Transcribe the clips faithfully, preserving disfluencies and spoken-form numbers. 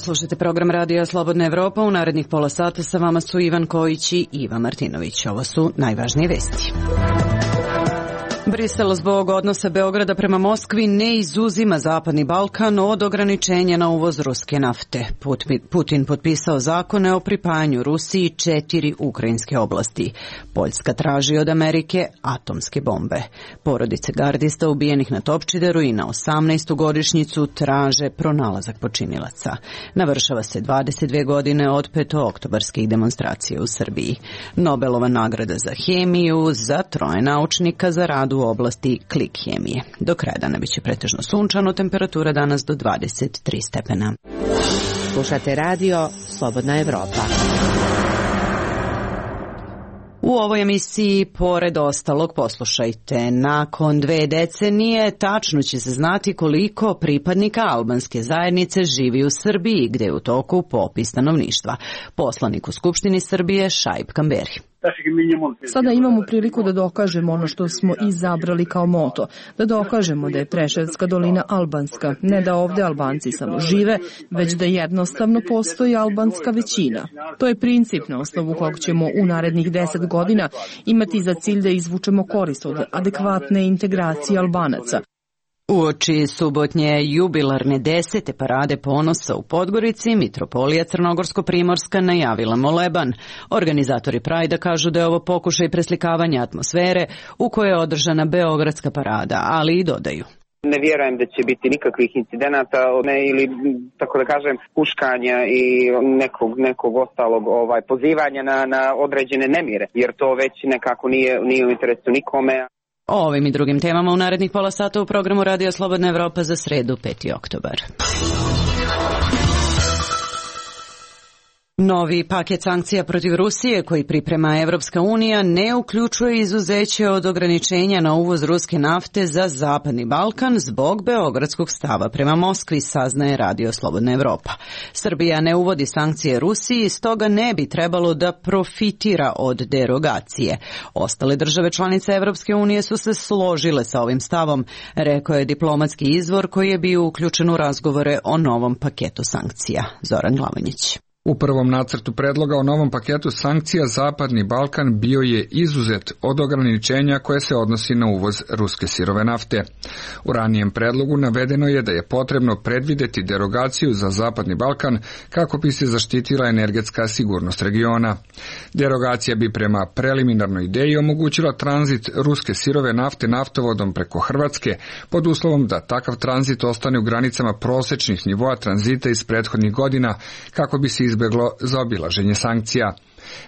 dan, slušajte program Radija Slobodna Evropa. U narednih pola sata sa vama su Ivan Kojić i Iva Martinović. Ovo su najvažnije vesti. Brisel zbog odnosa Beograda prema Moskvi ne izuzima Zapadni Balkan od ograničenja na uvoz ruske nafte. Putin potpisao zakone o pripajanju Rusiji četiri ukrajinske oblasti. Poljska traži od Amerike atomske bombe. Porodice gardista ubijenih na Topčideru i na osamnaestu godišnjicu traže pronalazak počinilaca. Navršava se dvadeset dve godine od petooktobarskih demonstracija u Srbiji. Nobelova nagrada za hemiju za troje naučnika za rad u oblasti klik hemije. Do kraja dana biće pretežno sunčano, temperatura danas do dvadeset tri stepena. Slušate radio Slobodna Evropa. U ovoj emisiji, pored ostalog, poslušajte. Nakon dve decenije tačno će se znati koliko pripadnika albanske zajednice živi u Srbiji, gde je u toku popis stanovništva. Poslanik u Skupštini Srbije Šaip Kamberi. Sada imamo priliku da dokažemo ono što smo izabrali kao moto, da dokažemo da je Preševska dolina albanska, ne da ovde Albanci samo žive, već da jednostavno postoji albanska većina. To je princip na osnovu kog ćemo u narednih deset godina imati za cilj da izvučemo korist od adekvatne integracije Albanaca. Uoči subotnje jubilarne desete parade ponosa u Podgorici, Mitropolija Crnogorsko-Primorska najavila moleban. Organizatori Prajda kažu da je ovo pokušaj preslikavanja atmosfere u kojoj je održana Beogradska parada, ali i dodaju. Ne vjerujem da će biti nikakvih incidenata ne, ili, tako da kažem, huškanja i nekog, nekog ostalog ovaj, pozivanja na, na određene nemire, jer to već nekako nije, nije u interesu nikome. O ovim i drugim temama u narednih pola sata u programu Radio Slobodna Evropa za sredu peti oktobar. Novi paket sankcija protiv Rusije koji priprema Evropska unija ne uključuje izuzeće od ograničenja na uvoz ruske nafte za Zapadni Balkan zbog beogradskog stava prema Moskvi, saznaje Radio Slobodna Evropa. Srbija ne uvodi sankcije Rusiji, stoga ne bi trebalo da profitira od derogacije. Ostale države članice Evropske unije su se složile sa ovim stavom, rekao je diplomatski izvor koji je bio uključen u razgovore o novom paketu sankcija. Zoran Glavanjić. U prvom nacrtu predloga o novom paketu sankcija Zapadni Balkan bio je izuzet od ograničenja koje se odnosi na uvoz ruske sirove nafte. U ranijem predlogu navedeno je da je potrebno predvideti derogaciju za Zapadni Balkan kako bi se zaštitila energetska sigurnost regiona. Derogacija bi prema preliminarnoj ideji omogućila tranzit ruske sirove nafte naftovodom preko Hrvatske pod uslovom da takav tranzit ostane u granicama prosečnih nivoa tranzita iz prethodnih godina kako bi se izbjeglo zaobilaženje sankcija.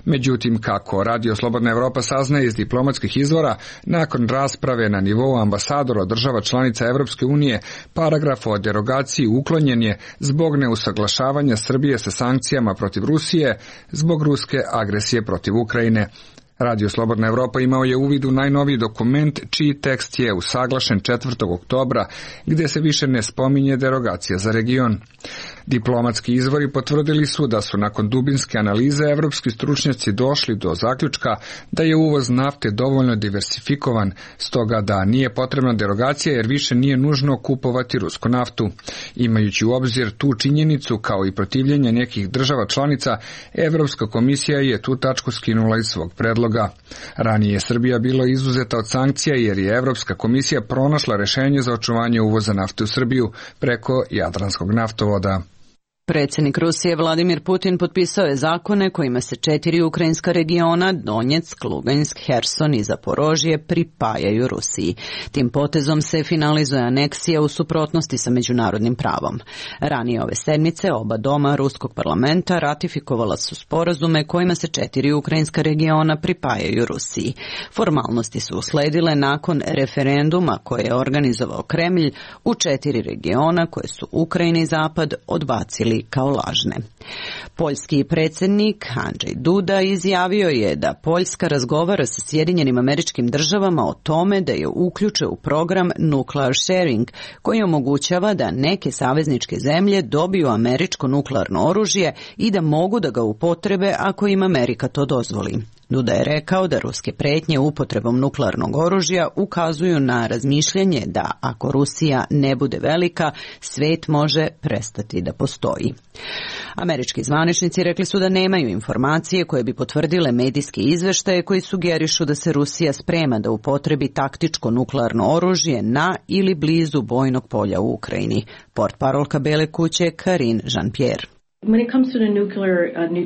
Međutim, kako Radio Slobodna Evropa saznaje iz diplomatskih izvora, nakon rasprave na nivou ambasadora država članica Evropske unije, paragraf o derogaciji uklonjen je zbog neusaglašavanja Srbije sa sankcijama protiv Rusije zbog ruske agresije protiv Ukrajine. Radio Slobodna Evropa imao je uvid u najnoviji dokument čiji tekst je usaglašen četvrtog oktobra, gdje se više ne spominje derogacija za region. Diplomatski izvori potvrdili su da su nakon dubinske analize evropski stručnjaci došli do zaključka da je uvoz nafte dovoljno diversifikovan, stoga da nije potrebna derogacija jer više nije nužno kupovati rusku naftu. Imajući u obzir tu činjenicu kao i protivljenje nekih država članica, Evropska komisija je tu tačku skinula iz svog predloga. Ranije je Srbija bilo izuzeta od sankcija jer je Evropska komisija pronašla rešenje za očuvanje uvoza nafte u Srbiju preko Jadranskog naftovoda. Predsjednik Rusije Vladimir Putin potpisao je zakone kojima se četiri ukrajinska regiona, Donjeck, Lugansk, Herson i Zaporožje, pripajaju Rusiji. Tim potezom se finalizuje aneksija u suprotnosti sa međunarodnim pravom. Ranije ove sedmice oba doma Ruskog parlamenta ratifikovala su sporazume kojima se četiri ukrajinska regiona pripajaju Rusiji. Formalnosti su usledile nakon referenduma koje je organizovao Kremlj u četiri regiona koje su Ukrajina i Zapad odbacili kao lažne. Poljski predsjednik Andrzej Duda izjavio je da Poljska razgovara sa Sjedinjenim Američkim Državama o tome da je uključe u program Nuclear Sharing, koji omogućava da neke savezničke zemlje dobiju američko nuklearno oružje i da mogu da ga upotrebe ako im Amerika to dozvoli. Duda je rekao da ruske pretnje upotrebom nuklearnog oružja ukazuju na razmišljanje da ako Rusija ne bude velika, svet može prestati da postoji. Američki zvaničnici rekli su da nemaju informacije koje bi potvrdile medijske izveštaje koji sugerišu da se Rusija sprema da upotrebi taktičko nuklearno oružje na ili blizu bojnog polja u Ukrajini. Portparolka Bele kuće Karine Jean-Pierre.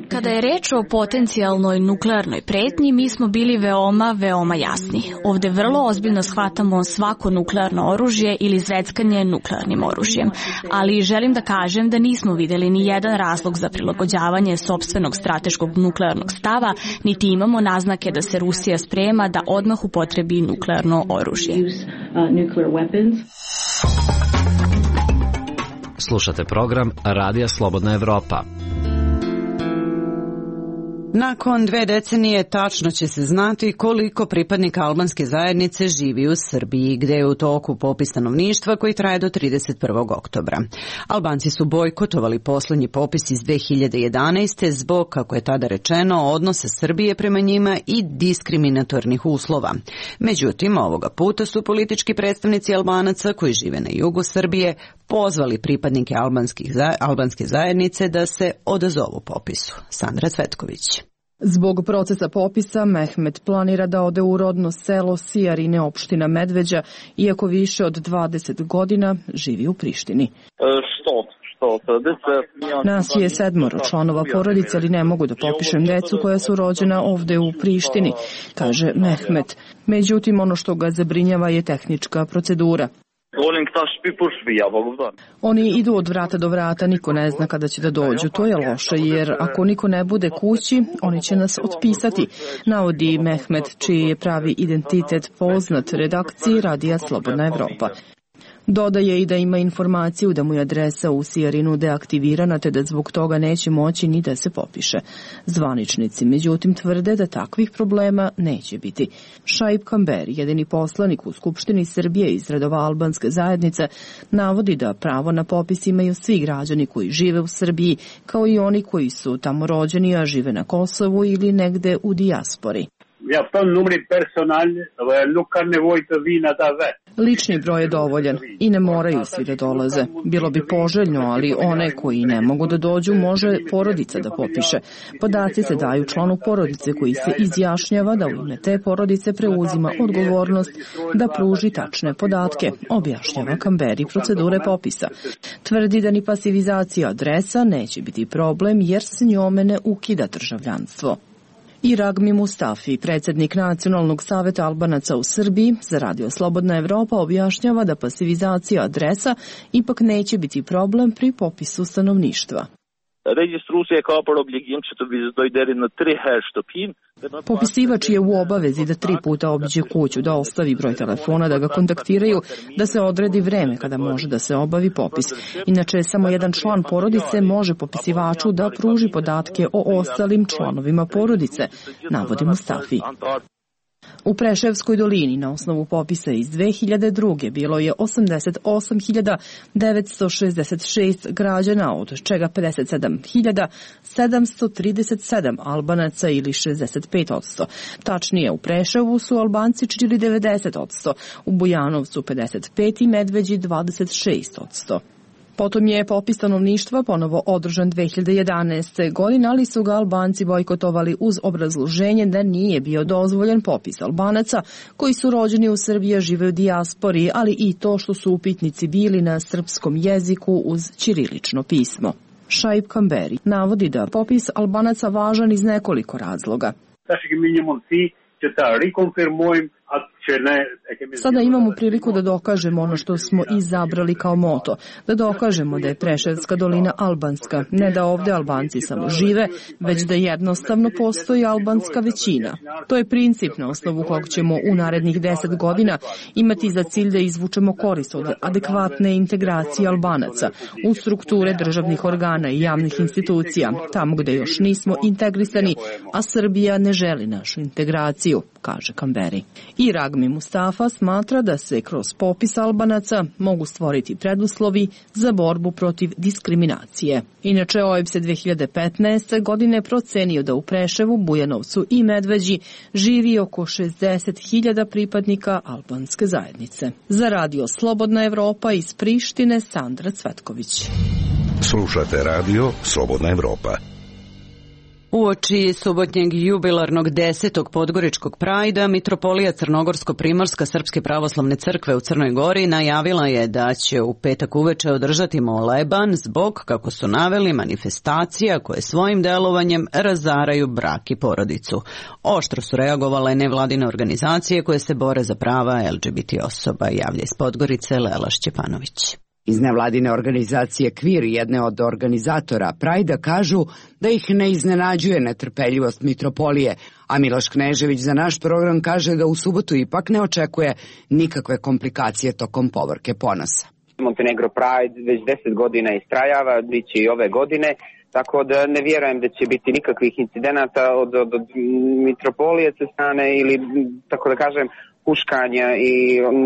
Kada je reč o potencijalnoj nuklearnoj pretnji, mi smo bili veoma, veoma jasni. Ovde vrlo ozbiljno shvatamo svako nuklearno oružje ili zveckanje nuklearnim oružjem. Ali želim da kažem da nismo videli ni jedan razlog za prilagođavanje sopstvenog strateškog nuklearnog stava, niti imamo naznake da se Rusija sprema da odmah upotrebi nuklearno oružje. Slušate program Radija Slobodna Evropa. Nakon dve decenije tačno će se znati koliko pripadnika albanske zajednice živi u Srbiji, gde je u toku popis stanovništva koji traje do trideset prvog oktobra. Albanci su bojkotovali poslednji popis iz dve hiljade jedanaeste zbog, kako je tada rečeno, odnosa Srbije prema njima i diskriminatornih uslova. Međutim, ovoga puta su politički predstavnici Albanaca koji žive na jugu Srbije pozvali pripadnike albanske zajednice da se odazovu popisu. Sandra Cvetković. Zbog procesa popisa, Mehmet planira da ode u rodno selo Sijarine, opština Medveđa, iako više od dvadeset godina živi u Prištini. Nas je sedmoro članova porodice, ali ne mogu da popišem decu koja su rođena ovde u Prištini, kaže Mehmet. Međutim, ono što ga zabrinjava je tehnička procedura. Oni idu od vrata do vrata, niko ne zna kada će da dođu. To je loše, jer ako niko ne bude kući, oni će nas otpisati, navodi Mehmet, čiji je pravi identitet poznat redakciji Radija Slobodna Evropa. Dodaje i da ima informaciju da mu je adresa u Sijarinu deaktivirana, te da zbog toga neće moći ni da se popiše. Zvaničnici, međutim, tvrde da takvih problema neće biti. Šaip Kamberi, jedini poslanik u Skupštini Srbije iz redova albanske zajednice, navodi da pravo na popis imaju svi građani koji žive u Srbiji, kao i oni koji su tamo rođeni, a žive na Kosovu ili negde u dijaspori. Lični broj je dovoljan i ne moraju svi da dolaze. Bilo bi poželjno, ali one koji ne mogu da dođu može porodica da popiše. Podaci se daju članu porodice koji se izjašnjava da u ime te porodice preuzima odgovornost da pruži tačne podatke, objašnjava Kamberi procedure popisa. Tvrdi da ni pasivizacija adresa neće biti problem jer se njome ne ukida državljanstvo. I Ragmi Mustafi, predsjednik Nacionalnog saveta Albanaca u Srbiji, za Radio Slobodna Evropa objašnjava da pasivizacija adresa ipak neće biti problem pri popisu stanovništva. Popisivač je u obavezi da tri puta obiđe kuću, da ostavi broj telefona, da ga kontaktiraju, da se odredi vreme kada može da se obavi popis. Inače, samo jedan član porodice može popisivaču da pruži podatke o ostalim članovima porodice, navodi Mustafi. U Preševskoj dolini na osnovu popisa iz dve hiljade druge bilo je osamdeset osam hiljada devetsto šezdeset šest građana, od čega pedeset sedam hiljada sedamsto trideset sedam Albanaca ili šezdeset pet posto. Tačnije, u Preševu su Albanci činili devedeset posto, u Bujanovcu pedeset pet i Medveđi dvadeset šest posto. Potom je popis stanovništva ponovo održan dve hiljade jedanaeste. godine, ali su ga Albanci bojkotovali uz obrazloženje da nije bio dozvoljen popis Albanaca koji su rođeni u Srbiji, žive u dijaspori, ali i to što su upitnici bili na srpskom jeziku uz ćirilično pismo. Šaip Kamberi navodi da popis Albanaca važan iz nekoliko razloga. Sada imamo priliku da dokažemo ono što smo izabrali kao moto, da dokažemo da je Preševska dolina albanska, ne da ovde Albanci samo žive, već da jednostavno postoji albanska većina. To je princip na osnovu kog ćemo u narednih deset godina imati za cilj da izvučemo korist od adekvatne integracije Albanaca u strukture državnih organa i javnih institucija, tamo gde još nismo integrisani, a Srbija ne želi našu integraciju, kaže Kamberi. I Ragmi Mustafa smatra da se kroz popis Albanaca mogu stvoriti preduslovi za borbu protiv diskriminacije. Inače, O E B S E dve hiljade petnaeste. godine procenio da u Preševu, Bujanovcu i Medveđi živi oko šezdeset hiljada pripadnika albanske zajednice. Za radio Slobodna Evropa iz Prištine, Sandra Cvetković. Slušate radio Slobodna Evropa. Uoči subotnjeg jubilarnog desetog podgoričkog prajda, Mitropolija Crnogorsko-Primorska Srpske pravoslavne crkve u Crnoj Gori najavila je da će u petak uveče održati moleban zbog, kako su naveli, manifestacija koje svojim delovanjem razaraju brak i porodicu. Oštro su reagovale nevladine organizacije koje se bore za prava L G B T osoba, javlja iz Podgorice Lela Šćepanović. Iz nevladine organizacije Kvir, jedne od organizatora Prajda, kažu da ih ne iznenađuje netrpeljivost Mitropolije, a Miloš Knežević za naš program kaže da u subotu ipak ne očekuje nikakve komplikacije tokom povorke ponosa. Montenegro Pride već deset godina istrajava, bit će i ove godine, tako da ne vjerujem da će biti nikakvih incidenata od, od, od Mitropolije sa strane ili, tako da kažem, huškanja i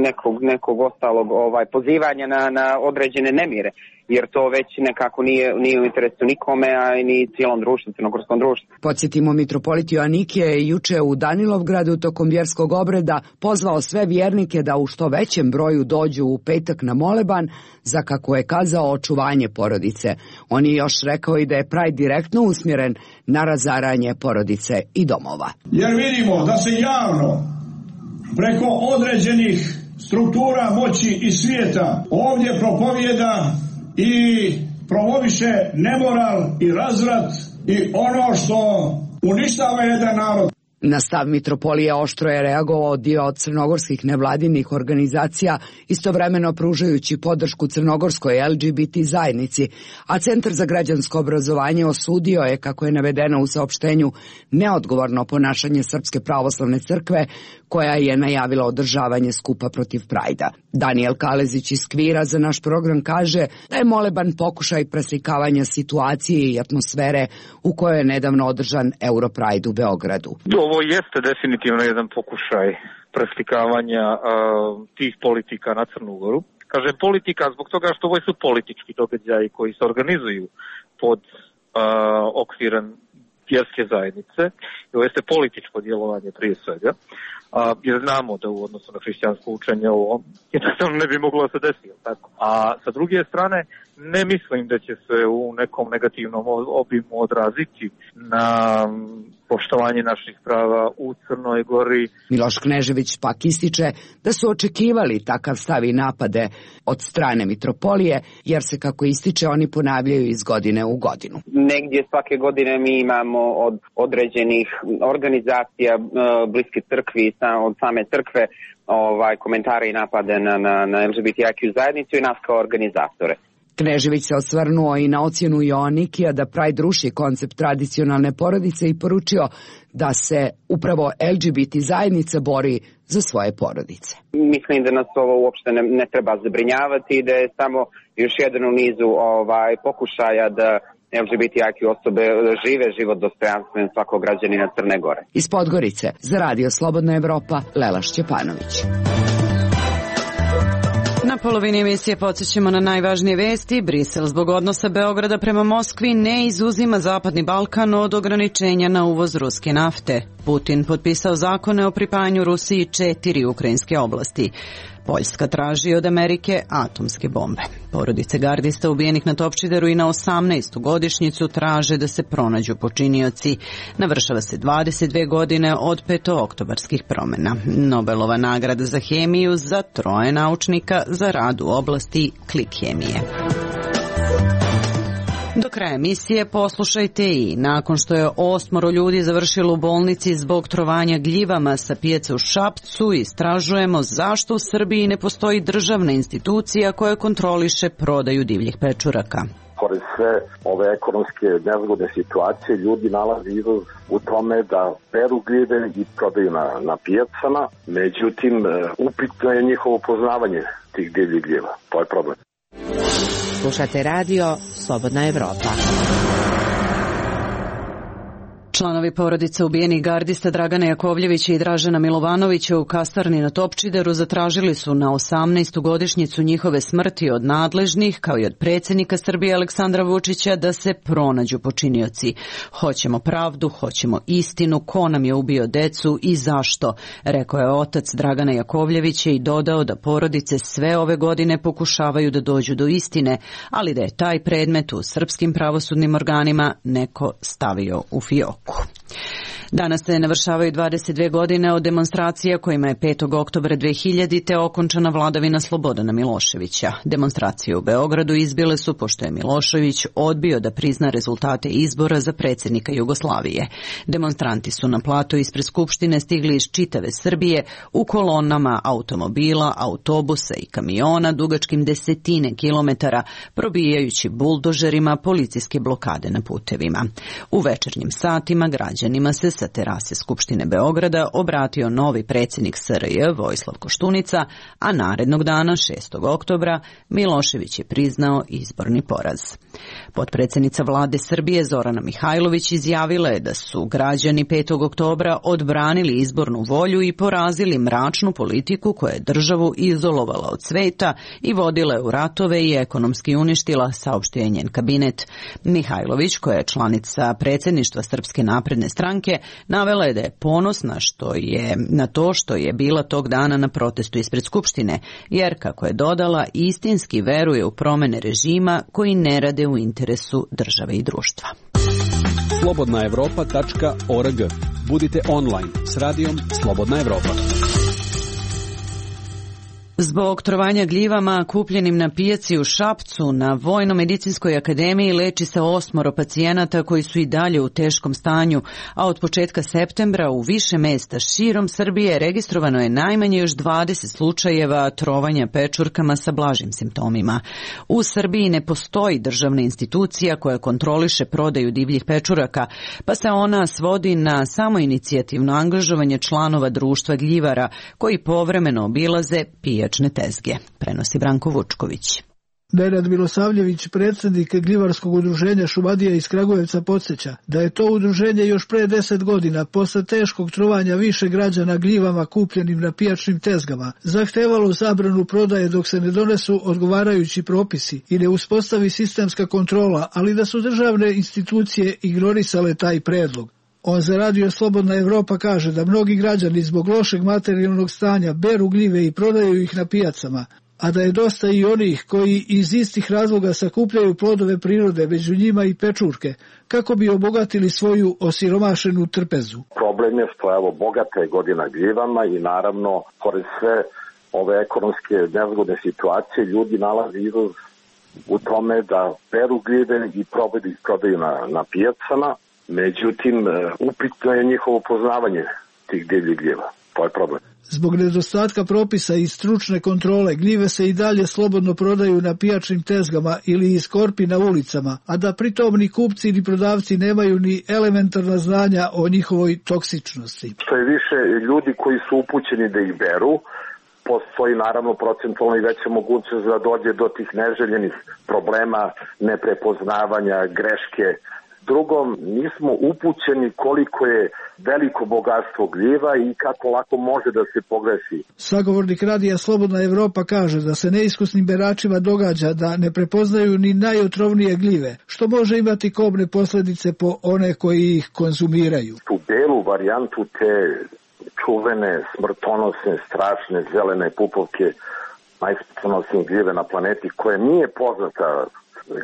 nekog, nekog ostalog ovaj, pozivanja na, na određene nemire, jer to već nekako nije, nije u interesu nikome, a i ni cijelom društvu, crnogorskom društvu. Podsjetimo, mitropolit Joanikije je juče u Danilovgradu tokom vjerskog obreda pozvao sve vjernike da u što većem broju dođu u petak na moleban za, kako je kazao, očuvanje porodice. On je još rekao i da je Pride direktno usmjeren na razaranje porodice i domova. Jer vidimo da se javno preko određenih struktura moći i svijeta ovdje propovijeda i promoviše nemoral i razvrat i ono što uništava jedan narod. Na stav Mitropolije oštro je reagovao dio od crnogorskih nevladinih organizacija, istovremeno pružajući podršku crnogorskoj L G B T zajednici, a Centar za građansko obrazovanje osudio je, kako je navedeno u saopštenju, neodgovorno ponašanje Srpske pravoslavne crkve, koja je najavila održavanje skupa protiv Prajda. Danijel Kalezić iz Kvira za naš program kaže da je moleban pokušaj preslikavanja situacije i atmosfere u kojoj je nedavno održan Europride u Beogradu. Ovo jeste definitivno jedan pokušaj preslikavanja uh, tih politika na Crnu Goru. Kažem politika zbog toga što ovo su politički događaji koji se organizuju pod uh, okvirom vjerske zajednice. I ovo jeste političko djelovanje prije svega. A, jer znamo da u odnosu na hrišćansko učenje ovo jednostavno ne bi moglo se desiti. Tako. A sa druge strane, ne mislim da će se u nekom negativnom obimu odraziti na poštovanje naših prava u Crnoj Gori. Miloš Knežević pak ističe da su očekivali takav stav i napade od strane Mitropolije, jer se, kako ističe, oni ponavljaju iz godine u godinu. Negdje svake godine mi imamo od određenih organizacija bliske crkvi, od same crkve, ovaj, komentare i napade na, na, na L G B T I Q zajednicu i nas kao organizatore. Knežević se osvrnuo i na ocjenu Joanikija da Pride ruši koncept tradicionalne porodice i poručio da se upravo L G B T zajednica bori za svoje porodice. Mislim da nas ovo uopšte ne, ne treba zabrinjavati i da je samo još jedan u nizu ovaj, pokušaja da L G B T I Q osobe žive život dostojanstven svakog građanina Crne Gore. Iz Podgorice za radio Slobodna Evropa, Lela Šćepanović. Na polovini emisije podsjećamo na najvažnije vesti. Brisel zbog odnosa Beograda prema Moskvi ne izuzima Zapadni Balkan od ograničenja na uvoz ruske nafte. Putin potpisao zakone o pripajanju Rusiji četiri ukrajinske oblasti. Poljska traži od Amerike atomske bombe. Porodice gardista ubijenih na Topčideru i na osamnaestu godišnjicu traže da se pronađu počinioci. Navršava se dvadeset dve godine od petooktobarskih promjena. Nobelova nagrada za hemiju za troje naučnika za rad u oblasti klik hemije. Do kraja emisije poslušajte i nakon što je osmoro ljudi završilo u bolnici zbog trovanja gljivama sa pijace u Šapcu, istražujemo zašto u Srbiji ne postoji državna institucija koja kontroliše prodaju divljih pečuraka. Pored sve ove ekonomske nezgodne situacije, ljudi nalaze izlaz u tome da peru gljive i prodaju na, na pijacama, međutim upitno je njihovo poznavanje tih divljih gljiva. To je problem. Slušate radio Slobodna Evropa. Članovi porodice ubijenih gardista Dragana Jakovljevića i Dražena Milovanovića u kasarni na Topčideru zatražili su na osamnaestu godišnjicu njihove smrti od nadležnih, kao i od predsjednika Srbije Aleksandra Vučića, da se pronađu počinioci. Hoćemo pravdu, hoćemo istinu, ko nam je ubio decu i zašto, rekao je otac Dragana Jakovljevića i dodao da porodice sve ove godine pokušavaju da dođu do istine, ali da je taj predmet u srpskim pravosudnim organima neko stavio u fioku. Danas se navršavaju dvadeset dve godine od demonstracija kojima je petog oktobra dve hiljadite. okončana vladavina Slobodana Miloševića. Demonstracije u Beogradu izbile su pošto je Milošević odbio da prizna rezultate izbora za predsjednika Jugoslavije. Demonstranti su na plato ispred Skupštine stigli iz čitave Srbije u kolonama automobila, autobusa i kamiona dugačkim desetine kilometara, probijajući buldožerima policijske blokade na putevima. U večernjim satima građanima se sa terase Skupštine Beograda obratio novi predsjednik S R J Vojislav Koštunica, a narednog dana, šestog oktobra, Milošević je priznao izborni poraz. Potpredsjednica vlade Srbije Zorana Mihajlović izjavila je da su građani petog oktobra odbranili izbornu volju i porazili mračnu politiku koja je državu izolovala od sveta i vodila je u ratove i ekonomski uništila, saopštio je njen kabinet. Mihajlović, koja je članica predsjedništva Srpske napredne stranke, navela je da je ponosna što je na to što je bila tog dana na protestu ispred Skupštine, jer, kako je dodala, istinski veruje u promene režima koji ne rade u interesu države i društva. slobodna evropa tačka org. Budite online s radijom Slobodna Evropa. Zbog trovanja gljivama kupljenim na pijaci u Šapcu na Vojno-medicinskoj akademiji leči se osmoro pacijenata koji su i dalje u teškom stanju, a od početka septembra u više mesta širom Srbije registrovano je najmanje još dvadeset slučajeva trovanja pečurkama sa blažim simptomima. U Srbiji ne postoji državna institucija koja kontroliše prodaju divljih pečuraka, pa se ona svodi na samoinicijativno angažovanje članova društva gljivara koji povremeno obilaze pijačne tezge, prenosi Branko Vučković. Nenad Milosavljević, predsjednik gljivarskog udruženja Šumadija iz Kragujevca, podsjeća da je to udruženje još pre deset godina, posle teškog trovanja više građana gljivama kupljenim na pijačnim tezgama, zahtevalo zabranu prodaje dok se ne donesu odgovarajući propisi i ne uspostavi sistemska kontrola, ali da su državne institucije ignorisale taj predlog. On za radio Slobodna Evropa kaže da mnogi građani zbog lošeg materijalnog stanja beru gljive i prodaju ih na pijacama, a da je dosta i onih koji iz istih razloga sakupljaju plodove prirode, među njima i pečurke, kako bi obogatili svoju osiromašenu trpezu. Problem je što evo bogata je godina gljivama i naravno, pored sve ove ekonomske nezgodne situacije, ljudi nalaze izlaz u tome da beru gljive i prodaju na, na pijacama. Međutim, upitno je njihovo poznavanje tih divljih gljiva. To je problem. Zbog nedostatka propisa i stručne kontrole, gljive se i dalje slobodno prodaju na pijačnim tezgama ili iz korpi na ulicama, a da pritom ni kupci ni prodavci nemaju ni elementarna znanja o njihovoj toksičnosti. Što je više ljudi koji su upućeni da ih beru, postoji naravno procentualno i veća mogućnost da dođe do tih neželjenih problema, neprepoznavanja, greške. Drugo, nismo upućeni koliko je veliko bogatstvo gljiva i kako lako može da se pogreši. Sagovornik radija Slobodna Evropa kaže da se neiskusnim beračima događa da ne prepoznaju ni najotrovnije gljive, što može imati kobne posljedice po one koji ih konzumiraju. Tu belu varijantu te čuvene, smrtonosne, strašne, zelene pupovke, najsmrtonosnije gljive na planeti, koja nije poznata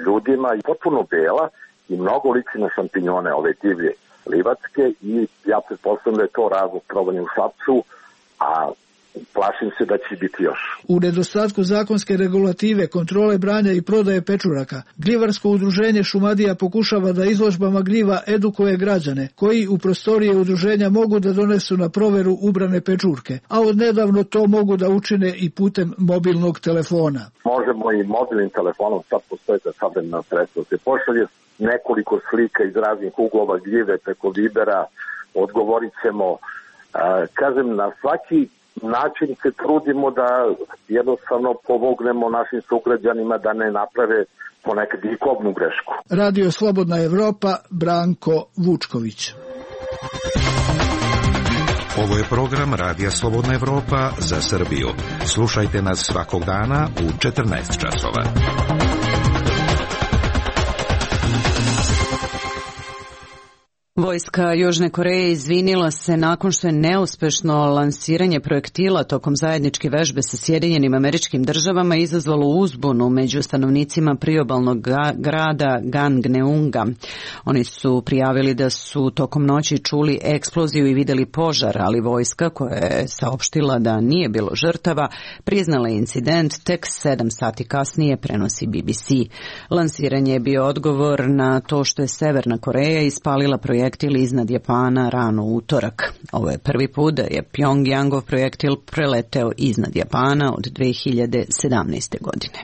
ljudima i potpuno bela, i mnogo liči na šampinjone, ove divlje livatske, i ja pretpostavljam da je to razlog trovanja u Šapcu, a plašim se da će biti još. U nedostatku zakonske regulative, kontrole branja i prodaje pečuraka, gljivarsko udruženje Šumadija pokušava da izložbama gljiva edukuje građane, koji u prostorije udruženja mogu da donesu na proveru ubrane pečurke, a odnedavno to mogu da učine i putem mobilnog telefona. Možemo i mobilnim telefonom, sad postoje za savremena sredstva, se pošalje nekoliko slika iz raznih uglova gljive preko Vibera, odgovorit ćemo. Kažem, na svaki način se trudimo da jednostavno pomognemo našim sugrađanima da ne naprave ponekad i kobnu grešku. Radio Slobodna Evropa, Branko Vučković. Ovo je program Radija Slobodna Evropa za Srbiju. Slušajte nas svakog dana u četrnaest časova. Vojska Južne Koreje izvinila se nakon što je neuspešno lansiranje projektila tokom zajedničke vežbe sa Sjedinjenim Američkim Državama izazvalo uzbunu među stanovnicima priobalnog grada Gangneunga. Oni su prijavili da su tokom noći čuli eksploziju i videli požar, ali vojska, koja je saopštila da nije bilo žrtava, priznala incident tek sedam sati kasnije, prenosi B B C. Lansiranje je bio odgovor na to što je Severna Koreja ispalila projekt projektil iznad Japana rano u utorak. Ovo je prvi put da je Pjongjangov projektil preleteo iznad Japana od dve hiljade sedamnaeste. godine.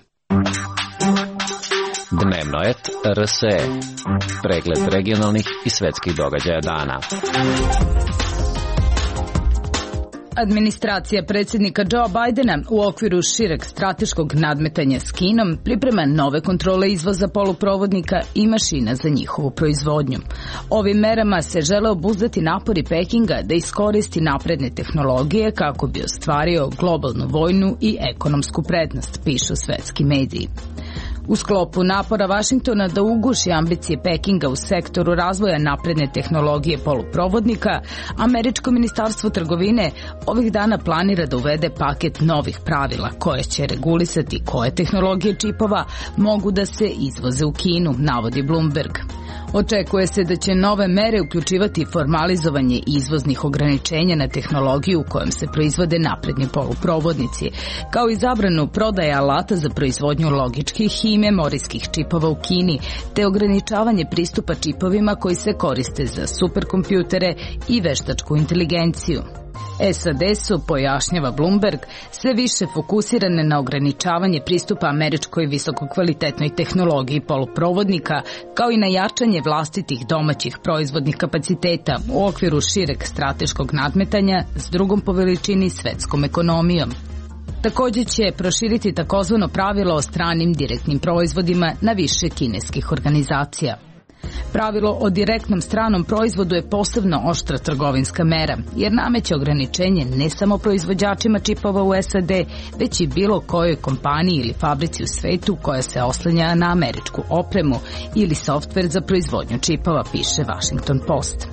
Dnevno et R S E. Pregled regionalnih i svetskih događaja dana. Administracija predsjednika Joe Bidena u okviru šireg strateškog nadmetanja s Kinom priprema nove kontrole izvoza poluprovodnika i mašina za njihovu proizvodnju. Ovim merama se žele obuzdati napori Pekinga da iskoristi napredne tehnologije kako bi ostvario globalnu vojnu i ekonomsku prednost, pišu svetski mediji. U sklopu napora Vašingtona da uguši ambicije Pekinga u sektoru razvoja napredne tehnologije poluprovodnika, Američko ministarstvo trgovine ovih dana planira da uvede paket novih pravila koje će regulisati koje tehnologije čipova mogu da se izvoze u Kinu, navodi Bloomberg. Očekuje se da će nove mere uključivati formalizovanje izvoznih ograničenja na tehnologiju u kojom se proizvode napredni poluprovodnici, kao i zabranu prodaje alata za proizvodnju logičkih i memorijskih čipova u Kini, te ograničavanje pristupa čipovima koji se koriste za superkompjutere i veštačku inteligenciju. S A D su, pojašnjava Bloomberg, sve više fokusirane na ograničavanje pristupa američkoj visokokvalitetnoj tehnologiji poluprovodnika, kao i na jačanje vlastitih domaćih proizvodnih kapaciteta u okviru šireg strateškog nadmetanja s drugom po veličini svetskom ekonomijom. Također će proširiti takozvano pravilo o stranim direktnim proizvodima na više kineskih organizacija. Pravilo o direktnom stranom proizvodu je posebno oštra trgovinska mera, jer nameće ograničenje ne samo proizvođačima čipova u S A D, već i bilo kojoj kompaniji ili fabrici u svetu koja se oslanja na američku opremu ili softver za proizvodnju čipova, piše Washington Post.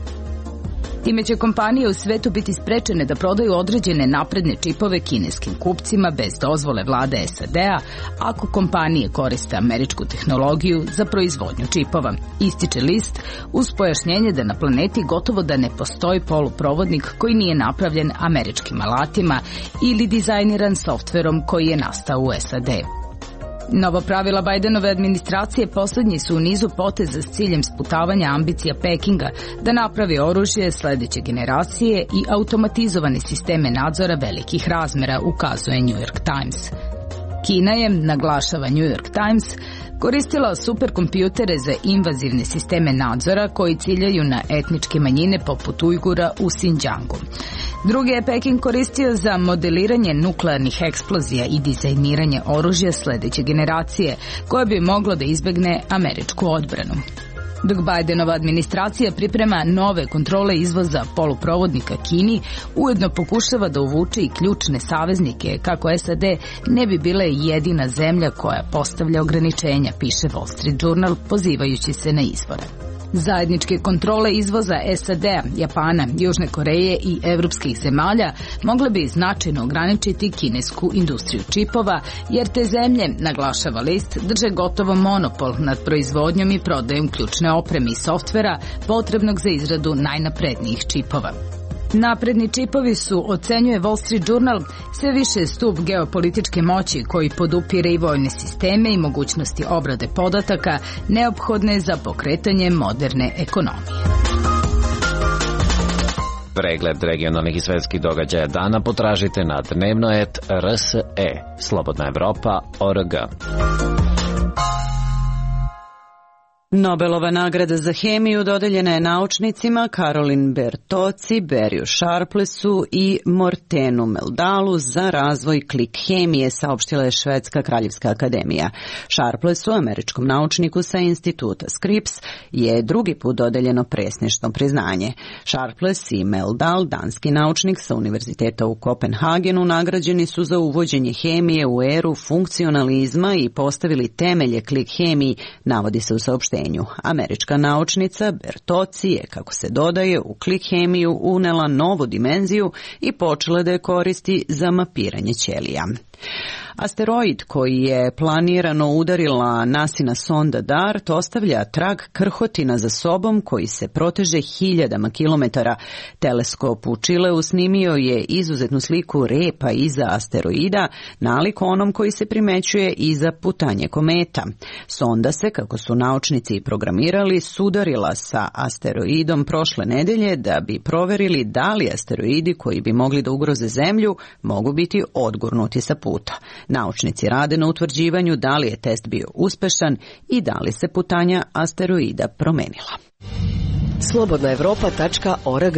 Time će kompanije u svetu biti sprečene da prodaju određene napredne čipove kineskim kupcima bez dozvole vlade S A D-a ako kompanije koriste američku tehnologiju za proizvodnju čipova, ističe list uz pojašnjenje da na planeti gotovo da ne postoji poluprovodnik koji nije napravljen američkim alatima ili dizajniran softverom koji je nastao u S A D. Nova pravila Bidenove administracije posljednji su u nizu poteza s ciljem sputavanja ambicija Pekinga da napravi oružje sledeće generacije i automatizovane sisteme nadzora velikih razmera, ukazuje New York Times. Kina je, naglašava New York Times, koristila superkompjutere za invazivne sisteme nadzora koji ciljaju na etničke manjine poput Ujgura u Xinjiangu. Drugi je Peking koristio za modeliranje nuklearnih eksplozija i dizajniranje oružja sledeće generacije, koje bi moglo da izbegne američku odbranu. Dok Bidenova administracija priprema nove kontrole izvoza poluprovodnika Kini, ujedno pokušava da uvuče i ključne saveznike kako S A D ne bi bile jedina zemlja koja postavlja ograničenja, piše Wall Street Journal pozivajući se na izvore. Zajedničke kontrole izvoza S A D-a, Japana, Južne Koreje i evropskih zemalja mogle bi značajno ograničiti kinesku industriju čipova, jer te zemlje, naglašava list, drže gotovo monopol nad proizvodnjom i prodajom ključne opreme i softvera potrebnog za izradu najnaprednijih čipova. Napredni čipovi su, ocenjuje Wall Street Journal, sve više stup geopolitičke moći koji podupire i vojne sisteme i mogućnosti obrade podataka neophodne za pokretanje moderne ekonomije. Pregled regionalnih i svetskih događaja dana potražite na dnevno et R S E, Slobodna Evropa, Org. Slobodna Evropa, Org. Nobelova nagrada za hemiju dodeljena je naučnicima Karolin Bertoci, Beriju Sharplesu i Mortenu Meldalu za razvoj klik hemije, saopštila je Švedska kraljevska akademija. Sharplesu, američkom naučniku sa instituta Scripps, je drugi put dodeljeno presnišno priznanje. Sharples i Meldal, danski naučnik sa univerziteta u Kopenhagenu, nagrađeni su za uvođenje hemije u eru funkcionalizma i postavili temelje klik hemiji, navodi se u saopštenju. Američka naučnica Bertoci je, kako se dodaje, u klik hemiju unela novu dimenziju i počela da je koristi za mapiranje ćelija. Asteroid koji je planirano udarila nasina sonda DART ostavlja trag krhotina za sobom koji se proteže hiljadama kilometara. Teleskop u Čileu snimio je izuzetnu sliku repa iza asteroida, nalik onom koji se primećuje iza putanje kometa. Sonda se, kako su naučnici i programirali, sudarila sa asteroidom prošle nedelje da bi proverili da li asteroidi koji bi mogli da ugroze Zemlju mogu biti odgurnuti sa puta. Naučnici rade na utvrđivanju da li je test bio uspešan i da li se putanja asteroida promenila. slobodna evropa tačka org.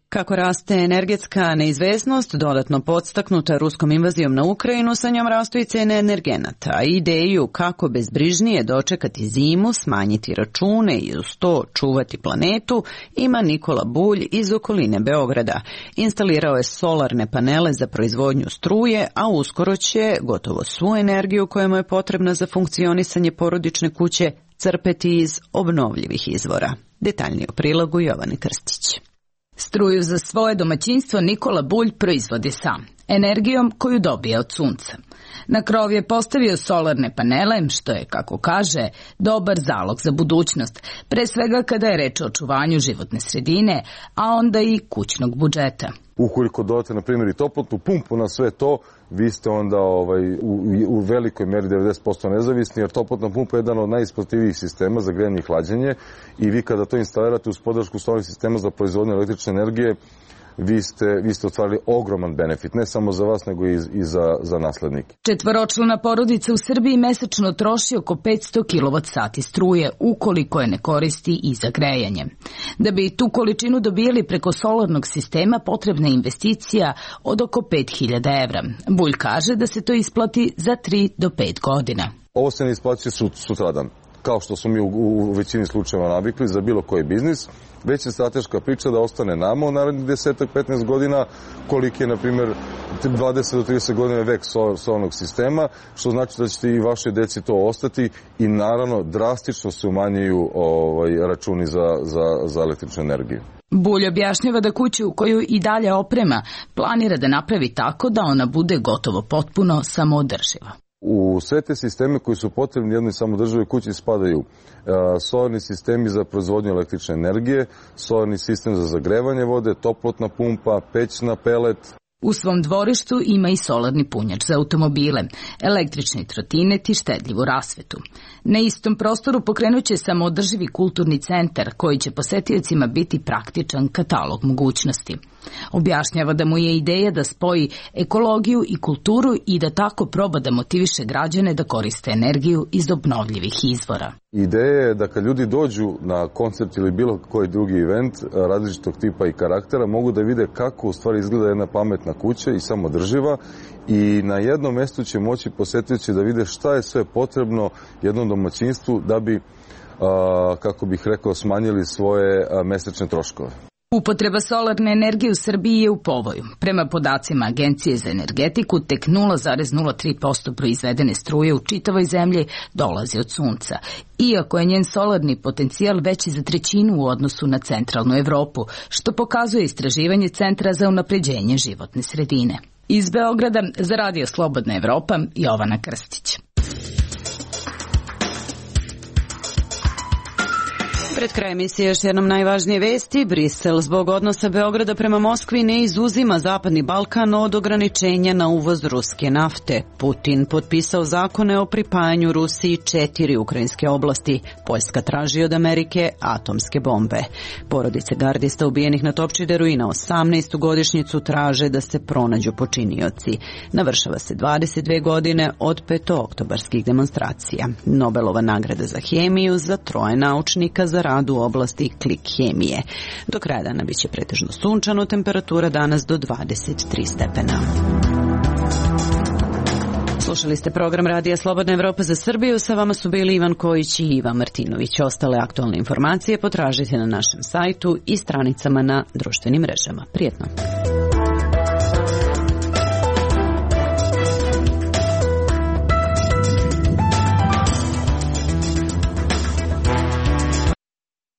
Kako raste energetska neizvesnost, dodatno podstaknuta ruskom invazijom na Ukrajinu, sa njom rastu i cene energenata, a ideju kako bezbrižnije dočekati zimu, smanjiti račune i uz to čuvati planetu, ima Nikola Bulj iz okoline Beograda. Instalirao je solarne panele za proizvodnju struje, a uskoro će gotovo svu energiju koja mu je potrebna za funkcionisanje porodične kuće crpeti iz obnovljivih izvora. Detaljnije o prilogu Jovane Krstić. Struju za svoje domaćinstvo Nikola Bulj proizvodi sam, energijom koju dobije od sunca. Na krov je postavio solarne panele, što je, kako kaže, dobar zalog za budućnost, pre svega kada je reč o očuvanju životne sredine, a onda i kućnog budžeta. Ukoliko dodate, na primjer, i toplotnu pumpu na sve to, vi ste onda ovaj, u, u velikoj meri devedeset posto nezavisni, jer toplotna pumpa je jedan od najisplativijih sistema za grejanje i hlađenje i vi kada to instalirate uz podršku solarnih sistema za proizvodnju električne energije, vi ste, vi ste ostvarili ogroman benefit, ne samo za vas, nego i, i za, za naslednike. Četvoročlana porodica u Srbiji mesečno troši oko petsto kilovat sati struje, ukoliko je ne koristi i za grejanje. Da bi tu količinu dobijali preko solarnog sistema, potrebna je investicija od oko pet hiljada evra. Bulj kaže da se to isplati za tri do pet godina. Ovo se ne isplaćuje sutradan, kao što smo mi u, u većini slučajeva navikli za bilo koji biznis, već je strateška priča da ostane nama u narednih deset do petnaest godina, koliki je, na primjer, dvadeset do trideset godina vek solarnog sistema, što znači da ćete i vaše deci to ostati i naravno drastično se umanjuju ovaj, računi za, za, za električnu energiju. Bulj objašnjava da kuću koju i dalje oprema planira da napravi tako da ona bude gotovo potpuno samoodrživa. U sve te sisteme koji su potrebni jednoj samodrživoj kući spadaju solarni sistemi za proizvodnju električne energije, solarni sistem za zagrevanje vode, toplotna pumpa, peć na pelet. U svom dvorištu ima i solarni punjač za automobile, električni trotinet i štedljivu rasvetu. Na istom prostoru pokrenut će samoodrživi kulturni centar koji će posetiocima biti praktičan katalog mogućnosti. Objašnjava da mu je ideja da spoji ekologiju i kulturu i da tako proba da motiviše građane da koriste energiju iz obnovljivih izvora. Ideja je da kad ljudi dođu na koncert ili bilo koji drugi event različitog tipa i karaktera, mogu da vide kako u stvari izgleda jedna pametna kuća i samodrživa i na jednom mestu će moći posetioci da vide šta je sve potrebno jednom domaćinstvu da bi, kako bih rekao, smanjili svoje mesečne troškove. Upotreba solarne energije u Srbiji je u povoju. Prema podacima Agencije za energetiku, tek nula zarez nula tri posto proizvedene struje u čitavoj zemlji dolazi od sunca, iako je njen solarni potencijal veći za trećinu u odnosu na centralnu Evropu, što pokazuje istraživanje Centra za unapređenje životne sredine. Iz Beograda za Radio Slobodna Evropa, Jovana Krstić. Pred kraj emisije još jednom najvažnije vesti. Brisel zbog odnosa Beograda prema Moskvi ne izuzima Zapadni Balkan od ograničenja na uvoz ruske nafte. Putin potpisao zakone o pripajanju Rusiji četiri ukrajinske oblasti. Poljska traži od Amerike atomske bombe. Porodice gardista ubijenih na Topčideru i na osamnaestu godišnjicu traže da se pronađu počinioci. Navršava se dvadeset dve godine od petooktobarskih demonstracija. Nobelova nagrada za hemiju za troje naučnika za rad u oblasti klik hemije. Do kraja dana biće pretežno sunčano, temperatura danas do dvadeset tri stepena. Slušali ste program Radija Slobodna Evropa za Srbiju. Sa vama su bili Ivan Kojić i Iva Martinović. Ostale aktualne informacije potražite na našem sajtu i stranicama na društvenim mrežama. Prijetno!